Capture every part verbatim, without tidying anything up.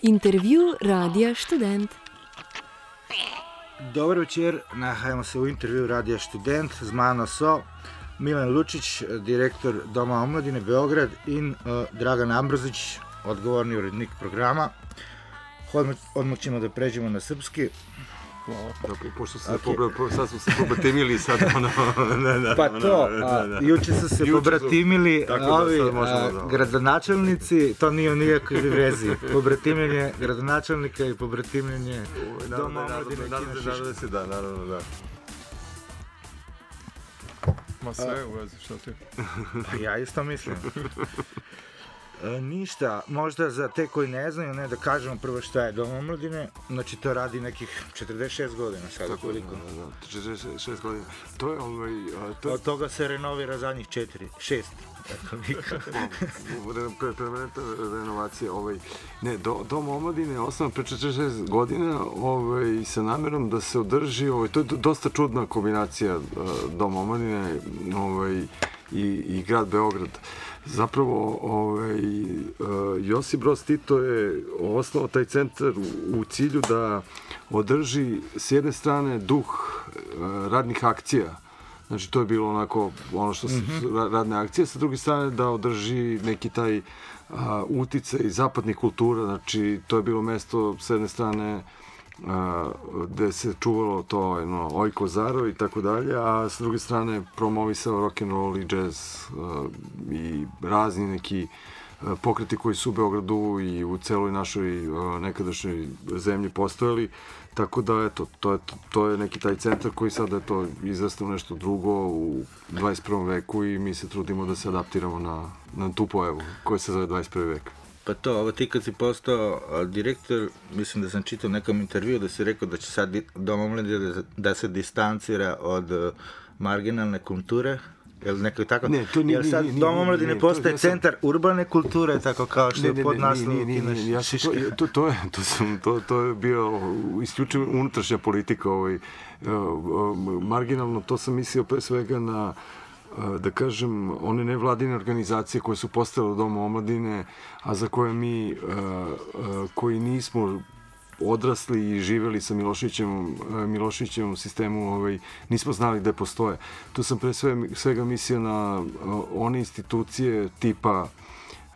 Intervju Radija Študent. Dobar večer, nahajamo se u intervju Radija Študent. Z mano so Milan Lučić, direktor Doma omladine Beograd, in uh, Dragan Ambrozić, odgovorni urednik programa. Odmah, odmah ćemo da pređemo na srpski. Hvala. Dakle, pošto se okay. sad smo se pobratimili, sad ono... ne, ne, pa to, a, juče su se juče pobratimili su, ovi da a, da. gradonačelnici, to nije u nijakoj vezi. Pobratimljenje gradonačelnika i pobratimljenje Doma omladine Kina Šiška. Naravno da se da, naravno da. Ma sve u vezi, što ti? Pa ja isto mislim. E, ništa, možda za te koji ne znaju, ne, da kažemo prvo šta je Dom omladine. Znači to radi nekih četrdeset šest godina sada. Koliko? Da, da, četrdeset šest godina. To je ovaj... To... Od toga se renovira zadnjih četiri, šest. Permanentna renovacija. Ovaj, ne, do, Dom omladine je osnovan pre četrdeset šest godina ovaj, sa namjerom da se održi, ovaj, to je dosta čudna kombinacija Dom omladine ovaj, i, i grad Beograd. Zapravo, ovaj, Josip Broz Tito je osnovao taj centar u cilju da održi s jedne strane duh radnih akcija. Znači, to je bilo onako ono što su mm-hmm. radne akcije, sa druge strane da održi neki taj a, uticaj zapadnih kultura. Znači, to je bilo mesto s jedne strane a, gde se čuvalo to no, Ojko Zaro i tako dalje, a s druge strane promovisao rock'n'roll i jazz a, i razni neki a, pokreti koji su u Beogradu i u celoj našoj a, nekadašnjoj zemlji postojali. Tako da, eto, to je, to je neki taj centar koji sada je to izrastao nešto drugo u dvadeset prvom veku i mi se trudimo da se adaptiramo na, na tu pojavu koja se zove dvadeset prvi vek. Pa to, ovo ti kad si postao direktor, mislim da sam čitao nekom intervju da si rekao da će sad Dom omladine da, da se distancira od uh, marginalne kulture. Jel neko tako? Ne, to nije, Jel sad nije, Dom omladine nije, postaje to, sam... centar urbane kulture, tako kao što je pod naslovom Kina Šiška? To, to, je, to, sam, to, to je bio isključivo unutrašnja politika. Ovaj, marginalno, to sam mislio pre svega na, da kažem, one nevladine organizacije koje su postale u Domu omladine, a za koje mi, koji nismo odrasli i živeli sa Miloševićem, Miloševićevom sistemu, ovaj, nismo znali gde postoje. Tu sam pre svega mislio na one institucije tipa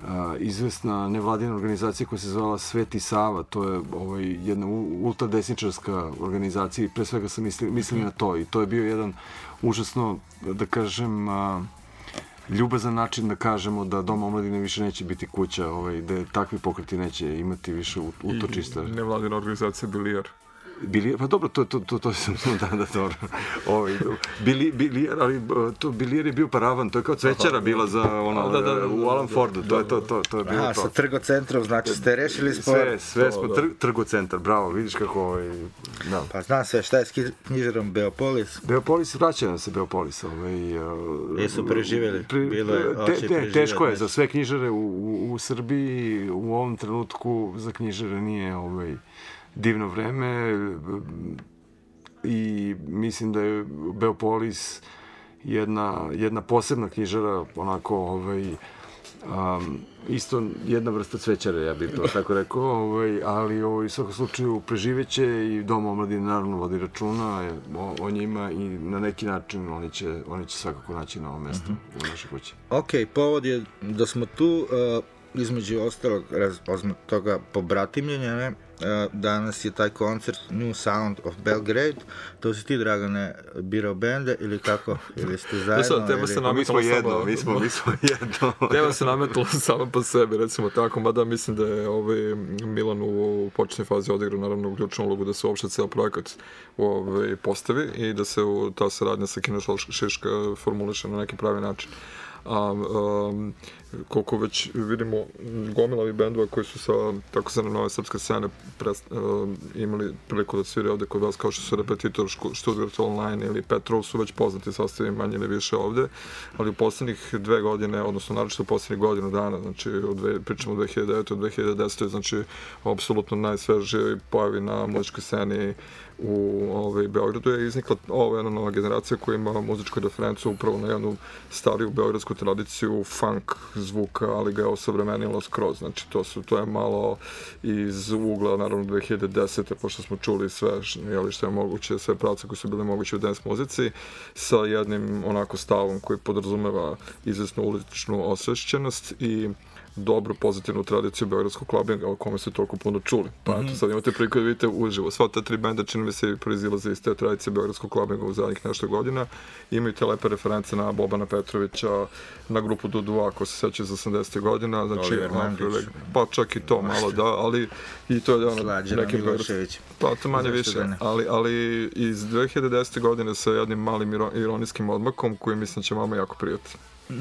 a, izvesna nevladina organizacija koja se zvala Sveti Sava. To je ovaj, jedna ultradesničarska organizacija i pre svega sam mislio, mislio na to. I to je bio jedan užasno, da kažem, a, ljubazan način da kažemo da Dom omladine više neće biti kuća, ovaj, da takvi pokreti neće imati više utočišta. I nevladina organizacija Bilijar. Bilijar, pa dobro, to, to, to, to sam, da, da, dobro. Ovaj, bili, bilijar, ali to Bilijar je bio paravan, to je kao cvećara bila za ono, da, da, da, u Alan Fordu, to je to, to, to je bilo Aha, to. Sa trgocentrom, znači ste rešili spor. Sve, sve smo tr, trgocentar, bravo, vidiš kako ovaj, da. Pa znam sve, šta je s knjižarom Beopolis? Beopolis, vraća nam se Beopolis. Ovaj, Jesu preživjeli? Pre, Bilo je, te, te, teško je za sve knjižare u, u, u Srbiji, u ovom trenutku za knjižare nije ovaj, divno vreme i mislim da je Beopolis jedna, jedna posebna knjižara, onako ovaj, um, isto jedna vrsta cvećare, ja bih to tako rekao, ovaj, ali ovaj, u svakom slučaju preživeće i Dom omladine naravno vodi računa o, o njima i na neki način oni će, oni će svakako naći novo mesto uh-huh. u našoj kući. Ok, povod je da smo tu, uh, između ostalog raz, toga pobratimljenja, ne? Danas je taj koncert New Sound of Belgrade. To si ti, Dragane, birao bende ili kako? Ili ste zajedno? Sad, tema se ili... Mi smo jedno, mi smo, mi smo jedno. Tema se nametala samo po sebi, recimo tako, mada mislim da je ovaj Milan u početnoj fazi odigrao naravno ključnu ulogu da se uopšte ceo projekat ovaj, postavi i da se u, ta saradnja sa Kina Šiška formuliše na neki pravi način. A, um, koliko već vidimo gomilavi bendova koji su sa tako zvane nove srpske scene prest, uh, imali priliku da svire ovde kod vas, kao što su Repetitor, Stuttgart Online ili Petrov, su već poznati sastavi manje ili više ovde, ali u poslednjih dve godine, odnosno naročito u poslednjih godinu dana, znači od dve, pričamo od dve hiljade devete do dve hiljade desete, znači apsolutno najsvežije pojavi na muzičkoj sceni u ovaj, Beogradu je iznikla ova jedna nova generacija koja ima muzičku referencu upravo na jednu stariju beogradsku beogradsku tradiciju funk zvuka, ali ga je osavremenilo skroz. Znači, to, su, to je malo iz ugla, naravno, dve hiljade desete. pošto smo čuli sve jeli, što je moguće, sve pravce koji su bile moguće u dance muzici, sa jednim onako stavom koji podrazumeva izvesnu uličnu osvešćenost i dobru, pozitivnu tradiciju beogradskog klubinga o kome ste toliko puno čuli. Pa eto, sad imate priliku da vidite uživo. Sva ta tri benda, čini mi se, proizilaze iz te tradicije beogradskog klubinga u zadnjih nešto godina. Imaju te lepe reference na Bobana Petrovića, na grupu Dudu, ako se seća iz osamdesetih godina. Znači, Oliver Mandić. Pa čak i to malo, da, ali i to je ono, Slađana neki Milošević. Pa to manje Zašto više, da ne? ali, ali iz dve hiljade desete. godine sa jednim malim iro- ironijskim odmakom koji mislim će vama jako prijati. Uh,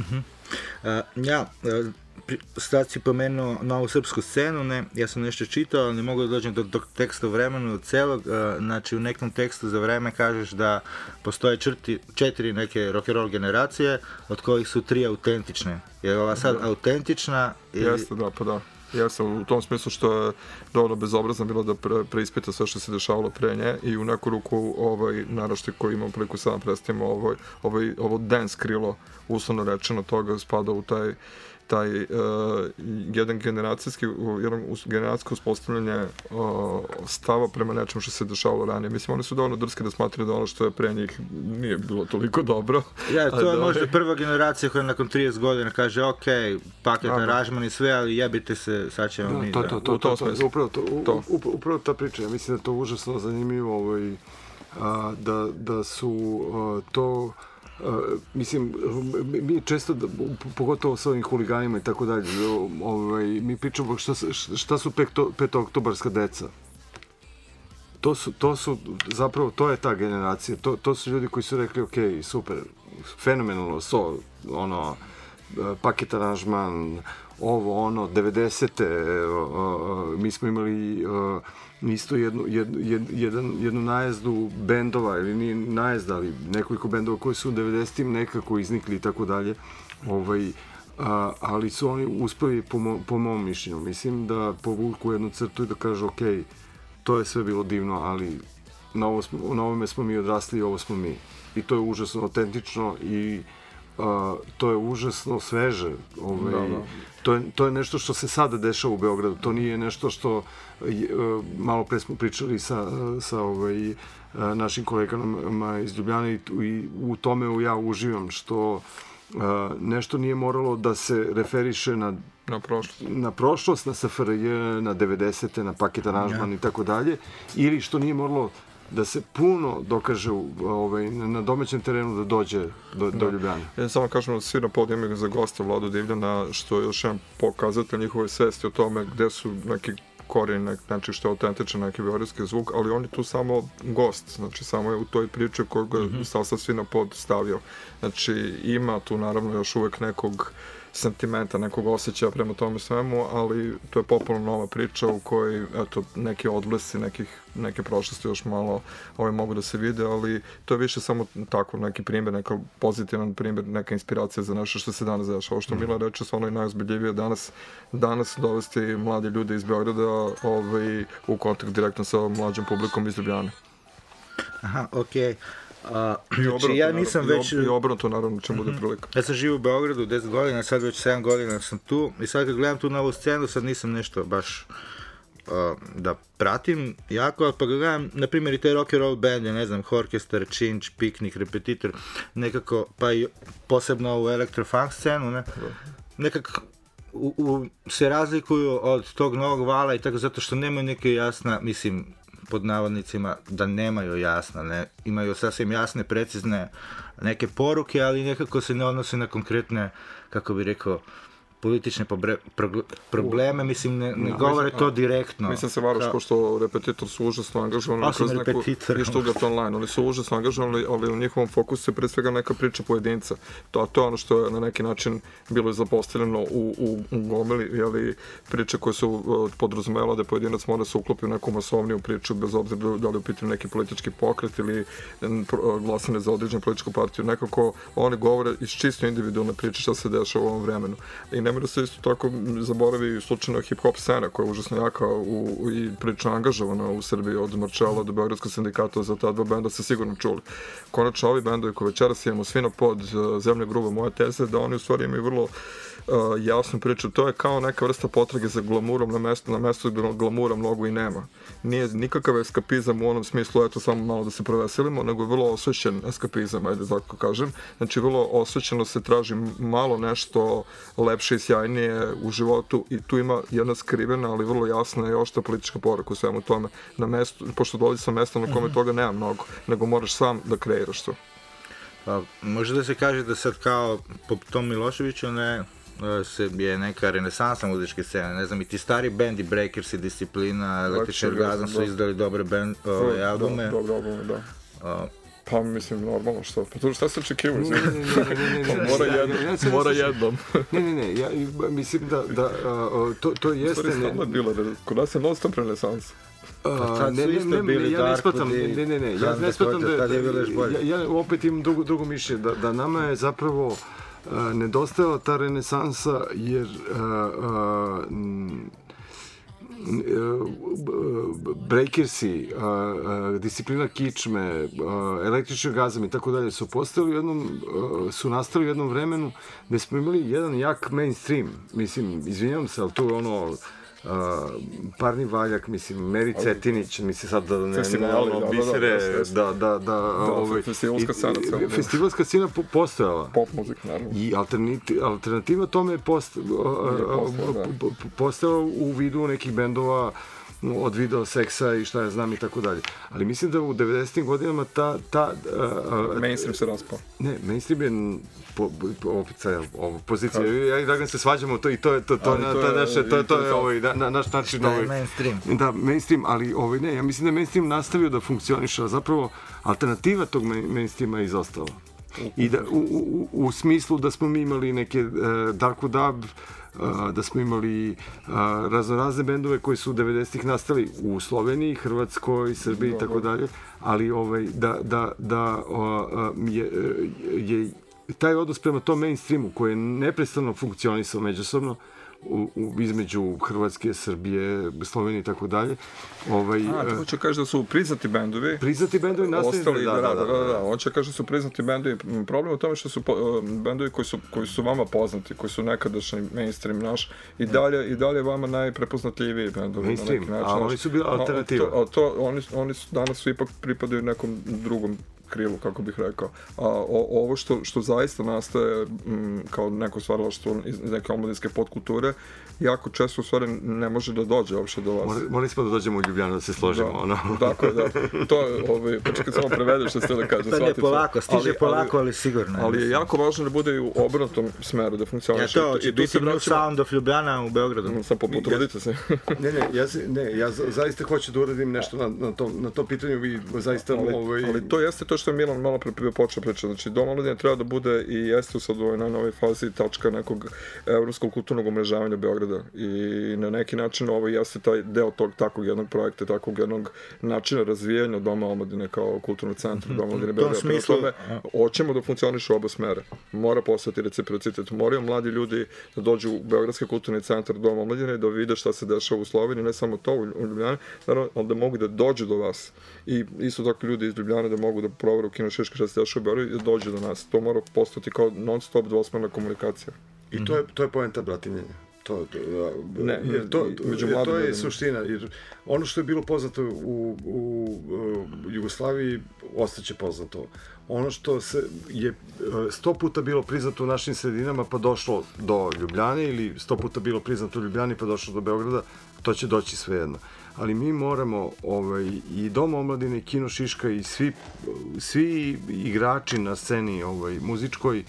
ja, uh, pri- sad si pomenuo novu srpsku scenu, ne, ja sam nešto čitao, ali ne mogu da dođem do, do teksta u vremenu, od celog, uh, znači u nekom tekstu za vreme kažeš da postoje črti, četiri neke rock'n'roll generacije, od kojih su tri autentične. Je ova sad autentična? Ili... Jeste, da, pa da. Jesam u tom smislu što je dovoljno bezobrazno bilo da pre, preispita sve što se dešavalo pre nje i u neku ruku ovaj naraštaj koji imam priliku sada predstavimo ovaj, ovaj, ovo dance krilo, uslovno rečeno, toga spada u taj taj uh, jedan generacijski, jedan generacijsko uspostavljanje uh, stava prema nečemu što se dešavalo ranije. Mislim, oni su dovoljno drski da smatraju da ono što je pre njih nije bilo toliko dobro. Ja, to je da, možda prva generacija koja nakon trideset godina kaže, ok, paket aranžman i sve, ali jebite se, sad ćemo Da, mi. to, da. to, to, U tom to, to, smislu. upravo, to, u- To. up- upravo ta priča, ja mislim da je to užasno zanimljivo, ovaj, a, da, da su a, to, a, mislim, mi, mi često, da, pogotovo sa ovim huliganima i tako dalje, ovaj, mi pričamo šta, s- šta su pekto, petooktobarska deca. To su, to su, zapravo, to je ta generacija, to, to su ljudi koji su rekli, ok, super, fenomenalno, so, ono, paket aranžman, ovo, ono, devedesete. Mi smo imali uh, isto jednu, jednu, jed, jedan, jednu najezdu bendova, ili nije najezda, ali nekoliko bendova koji su u devedesetim nekako iznikli i tako dalje. Ovaj, a, ali su oni uspeli, po, mo, po mom mišljenju, mislim da povuku jednu crtu i da kažu, ok, to je sve bilo divno, ali na, ovo smo, na ovome smo mi odrasli i ovo smo mi. I to je užasno autentično i Uh, to je užasno sveže. Ovaj, Da, da. To, je, to je nešto što se sada dešava u Beogradu. To nije nešto što je, uh, malo pre smo pričali sa, sa ovaj, uh, našim kolegama iz Ljubljane i, i u tome ja uživam što uh, nešto nije moralo da se referiše na Na prošlost. na prošlost, na S F R J, na devedesete, na paket aranžman i tako dalje, ili što nije moralo da se puno dokaže u, ovaj, na domaćem terenu da dođe do, do Ljubljane. Ja samo kažem da svi na podijemu imaju za gosta Vladu Divljana, što je još jedan pokazatelj njihove svesti o tome gde su neki korijeni, znači što je autentičan neki beogradski zvuk, ali on je tu samo gost, znači samo je u toj priči koju ga mm-hmm. sastav svi na pod stavio. Znači ima tu naravno još uvek nekog sentimenta, nekog osjećaja prema tome svemu, ali to je popularna nova priča u kojoj, eto, neki odblesi, nekih, neke prošlosti još malo ovaj, mogu da se vide, ali to je više samo tako neki primjer, neka pozitivan primjer, neka inspiracija za nešto što se danas dešava. Ovo što Mila reče, stvarno je najozbiljivije danas, danas dovesti mlade ljude iz Beograda ovaj, u kontakt direktno sa mlađom publikom iz Ljubljane. Aha, okej. A, I znači, obrnuto, ja nisam naravno, već... I obrnuto, naravno, će bude prilika. Ja sam živio u Beogradu deset godina, sad već sedam godina sam tu i sad kad gledam tu novu scenu, sad nisam nešto baš uh, da pratim jako, ali pa ga gledam, na primjer i te rock and roll bende, ne znam, Orkestar, Činč, Piknik, Repetitor, nekako, pa i posebno ovu elektrofunk scenu, ne, nekako u, u, se razlikuju od tog novog vala i tako, zato što nemaju neke jasna, mislim, pod navodnicima, da nemaju jasna, ne, imaju sasvim jasne, precizne neke poruke, ali nekako se ne odnose na konkretne, kako bi rekao, politične pobre, pro, probleme, mislim, ne, ne govore to direktno. Mislim se varaš, ko što Repetitor su užasno angažovani Osim kroz neku Repetitora. i Stuttgart Online, oni su užasno angažovani, ali u njihovom fokusu je pre svega neka priča pojedinca. To, a to je ono što je na neki način bilo zapostavljeno u, u, u gomili, jeli, priče koje su uh, podrazumela da pojedinac mora se uklopi u neku masovniju priču, bez obzira da li je u pitanju neki politički pokret ili uh, glasanje za određenu političku partiju. Nekako oni govore iz čisto individualne priče šta se dešava u ovom vremenu. I nema da se isto tako zaboravi slučajno hip-hop scena koja je užasno jaka u, u, i prilično angažovana u Srbiji od Marčela do Beogradskog sindikata, za ta dva benda se sigurno čuli. Konačno ovi bendovi koje večeras imamo svi na pod uh, Zemlja gruba moja teza, da oni u stvari imaju vrlo uh, jasnu priču. To je kao neka vrsta potrage za glamurom na mestu, na mestu gdje glamura mnogo i nema. Nije nikakav eskapizam u onom smislu, eto samo malo da se proveselimo, nego je vrlo osvećen eskapizam, ajde tako kažem. Znači vrlo osvećeno se traži malo nešto lepše i sjajnije u životu i tu ima jedna skrivena, ali vrlo jasna i oštra politička poruka u svemu tome. Na mestu, pošto dolazi sa mesta na kome toga nema mnogo, nego moraš sam da kreiraš to. Pa, može da se kaže da sad kao po tom Miloševiću ne, se je neka renesansa muzičke scene, ne znam, i ti stari bendi, Breakers i Disciplina, Električni orgazam su izdali dobre band, ove, albume. Da, dobre albume, da. A, pa mislim, normalno što, pa tu šta se očekivaju? Ne, ne, ne, ne, ne, mora jednom, mora jednom. Ne, ne, ne, ja mislim da, da to, to jeste... Stvari stalno je bilo, kod nas je non-stop renesansa. Pa ne, ne, ne, ne, ja ne shvatam, ne, ne, ne, ja ne shvatam da, ja, ja opet imam drugo, drugo mišljenje, da, da nama je zapravo uh, nedostajala ta renesansa, jer uh, uh, Breakersi, uh, uh, Disciplina kičme, uh, Električni orgazam i tako dalje su postali u jednom, uh, su nastali u jednom vremenu gde smo imali jedan jak mainstream, mislim, izvinjam se, ali tu je ono Uh, Parni Valjak, mislim, Meri Cetinić, mislim sad da ne ono bisere, da, da, da, ovaj, festivalska scena, festivalska scena postojala. Pop muzika, naravno. I alternativa tome je postojala u vidu nekih bendova od video seksa i šta ja znam i tako dalje. Ali mislim da u devedesetim godinama ta... ta uh, mainstream se raspao. Ne, mainstream je po, po, opet sad, ovo, pozicija. Ja i Dragan se svađamo to i to je to, to, na, to, naše, to, to je ovaj, na, naš način... Da je mainstream. Da, mainstream, ali ovaj, ne, ja mislim da je mainstream nastavio da funkcioniše, a zapravo alternativa tog mainstreama je izostala. I da, u, u, u smislu da smo mi imali neke uh, Darko Dub, Uh, da smo imali uh, raznorazne bendove koji su u devedesetih nastali u Sloveniji, Hrvatskoj, Srbiji i tako dalje, ali ovaj, da, da, da uh, je, je taj odnos prema tom mainstreamu koji je neprestano funkcionisao međusobno U, u, između Hrvatske, Srbije, Slovenije i tako dalje. Ovaj, A, to hoće kaže da su priznati bendovi. Priznati bendovi nastavili, da, da, da, da, da. Hoće kaže da su priznati bendovi. Problem u tome što su uh, bendovi koji su, koji su vama poznati, koji su nekadašnji mainstream naš, i dalje, i dalje vama najprepoznatljiviji bendovi. Mainstream, na način, a oni su bili alternativa. A to, a to oni, oni su, danas su ipak pripadaju nekom drugom krilu, kako bih rekao. A o, ovo što, što zaista nastaje m, kao neko stvaralaštvo iz neke omladinske podkulture, jako često u stvari ne može da dođe uopšte do vas. Morali, morali smo da dođemo u Ljubljanu da se složimo, da, ono. Tako je, da. To je, ovaj, pa čekaj samo prevedeš što ste da kažem. Pa ne, polako, stiže ali, polako, ali sigurno. Ali je jako važno da bude i u obrnutom smeru, da funkcioniše. Ja to, će biti New Sound of Ljubljana u Beogradu. Sam potrudite se. Ne, ne, ja, ne, ja zaista hoću da uradim nešto na, na, tom, na tom pitanju, vi zaista... Ali, ovaj... ali to jeste to što je Milan malo pre počeo pričati. Znači, Dom omladine treba da bude i jeste sad u ovoj novoj fazi tačka nekog evropskog kulturnog umrežavanja Beograda. I na neki način ovo jeste taj deo tog takvog jednog projekta, takvog jednog načina razvijanja Doma omladine kao kulturnog centra Doma omladine Beograda. Prema tome, hoćemo da funkcioniše u oba smere. Mora postati reciprocitet. Moraju mladi ljudi da dođu u Beogradski kulturni centar Doma omladine i da vide šta se dešava u Sloveniji, ne samo to u Ljubljani, naravno, ali da mogu da dođu do vas. I isto tako ljudi iz Ljubljane da mogu da provere u Kino Šiška šta se dešava u Beogradu i da dođu do nas. To mora postati kao non-stop dvosmerna komunikacija. I to je, to je poenta bratimljenja. To, to, ne, jer to, jer to je suština, jer ono što je bilo poznato u, u, u Jugoslaviji ostaće poznato. Ono što se je sto puta bilo priznato u našim sredinama pa došlo do Ljubljane ili sto puta bilo priznato u Ljubljani pa došlo do Beograda, to će doći svejedno. Ali mi moramo, ovaj, i Dom omladine, i Kino Šiška i svi, svi igrači na sceni ovaj, muzičkoj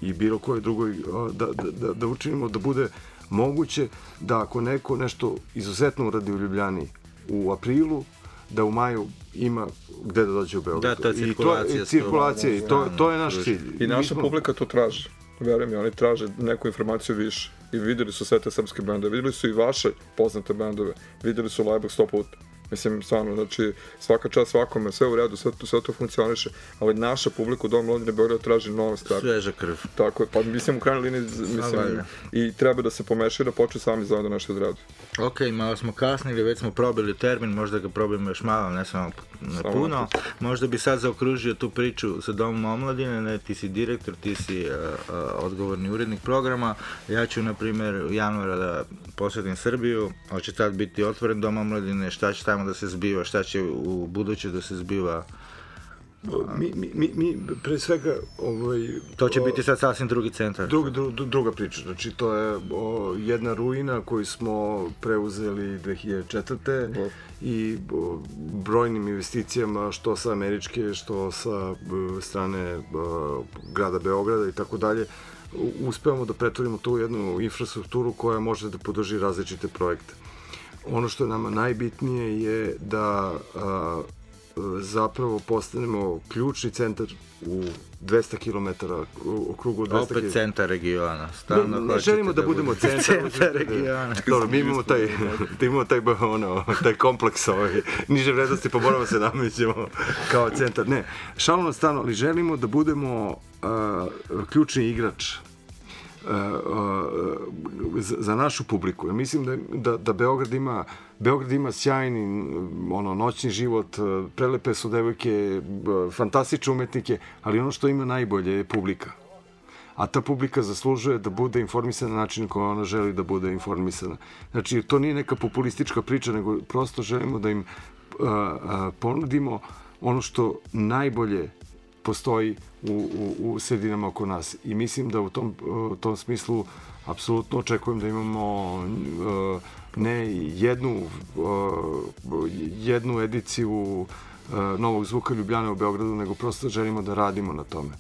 i bilo koje drugoj, da, da, da učinimo da bude moguće da ako neko nešto izuzetno uradi u Ljubljani u aprilu, da u maju ima gde da dođe u Beograd. Da, ta cirkulacija. I to, cirkulacija, i to, to je naš cilj. I naša smo... publika to traži. Verujem mi, oni traže neku informaciju više. I vidjeli su sve te srpske bendove, vidjeli su i vaše poznate bendove, vidjeli su Lajbog sto puta. Mislim, stvarno, znači, svaka čast svakome, sve u redu, sve to, sve to funkcioniše, ali naša publika u Domu omladine Beograda traži nove stvari. Sveža krv. Tako je, pa mislim u krajnjoj liniji, mislim, i treba da se pomeša i da počne sami zajedno nešto da radi. Ok, malo smo kasnili, već smo probili termin, možda ga probimo još malo, ne samo Samo puno. Možda bi sad zaokružio tu priču sa Domom omladine, ne, ti si direktor, ti si uh, uh, odgovorni urednik programa. Ja ću, na primjer, u januara da posjetim Srbiju, hoće tad biti otvoren Dom omladine, šta će tamo da se zbiva, šta će u buduće da se zbiva. Mi, mi, mi, mi pre svega ovaj, To će biti sad sasvim drugi centar. Drug, dru, druga priča, znači to je o, jedna ruina koju smo preuzeli dve hiljade četvrte i o, brojnim investicijama, što sa američke, što sa o, strane o, grada Beograda i tako dalje, uspevamo da pretvorimo tu jednu infrastrukturu koja može da podrži različite projekte. Ono što je nama najbitnije je da a, zapravo postanemo ključni centar u dvesta kilometara, u krugu dvesta kilometara. Opet centar regiona. Ne, ne želimo da, da budemo centar, centar regiona. Dobro, mi imamo taj, da imamo taj, ono, taj kompleks ovaj, niže vrednosti, pa moramo se namećemo kao centar. Ne, šalno na stranu, ali želimo da budemo uh, ključni igrač Uh, uh, za, za našu publiku. Ja mislim da, da, da Beograd ima Beograd ima sjajni ono, noćni život, prelepe su devojke, fantastične umetnike, ali ono što ima najbolje je publika. A ta publika zaslužuje da bude informisana na način koji ona želi da bude informisana. Znači, to nije neka populistička priča, nego prosto želimo da im uh, uh, ponudimo ono što najbolje postoji u, u, u sredinama oko nas. I mislim da u tom, u tom smislu apsolutno očekujem da imamo uh, ne jednu, uh, jednu ediciju uh, Novog zvuka Ljubljane u Beogradu, nego prosto želimo da radimo na tome.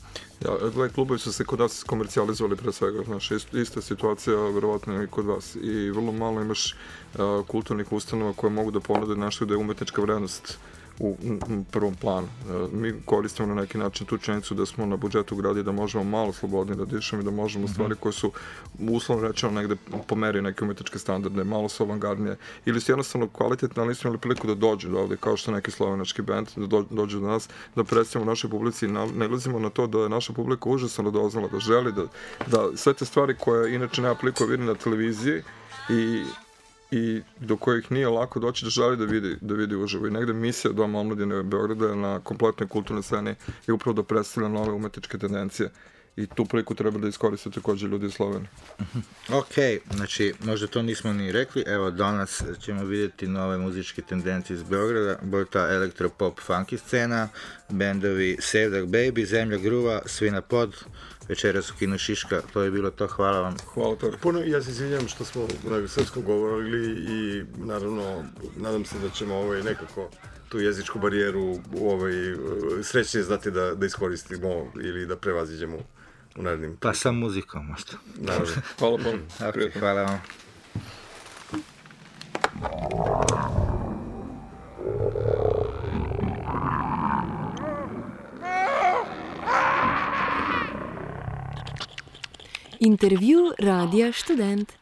Ja, gledaj, klubovi su se kod nas komercijalizovali pre svega, znaš, ista situacija verovatno i kod vas i vrlo malo imaš uh, kulturnih ustanova koje mogu da ponude nešto da je umetnička vrednost u prvom planu. Mi koristimo na neki način tu činjenicu da smo na budžetu gradi da možemo malo slobodnije da dišemo i da možemo stvari koje su uslovno rečeno negde pomeri neke umetničke standarde, malo su avangardnije ili su jednostavno kvalitetne, ali nismo imali priliku da dođu do ovde, kao što neki slovenački band, da do, dođu do nas, da predstavimo našoj publici i nailazimo na to da je naša publika užasno doznala, da želi da, da sve te stvari koje inače nema priliku vidi na televiziji i i do kojih nije lako doći da želi da vidi, da vidi uživo. I negde misija Doma omladine Beograda na kompletnoj kulturnoj sceni je upravo da predstavlja nove umetničke tendencije. I tu priliku treba da iskoriste takođe ljudi iz Slovenije. Ok, znači, možda to nismo ni rekli, evo danas ćemo vidjeti nove muzičke tendencije iz Beograda, bo je ta elektropop funky scena, bendovi Sevdak Baby, Zemlja gruva, Svina pod, večeras u kinu Šiška, to je bilo to, hvala vam. Hvala to. Puno, ja se izvinjam što smo na srpskom govorili i naravno, nadam se da ćemo ovaj, nekako tu jezičku barijeru ovaj, srećnije znati da, da iskoristimo ili da prevaziđemo u narednim. Pa sa muzikom možda. Naravno. Hvala vam. Okay, hvala vam. Intervju Radija Študent.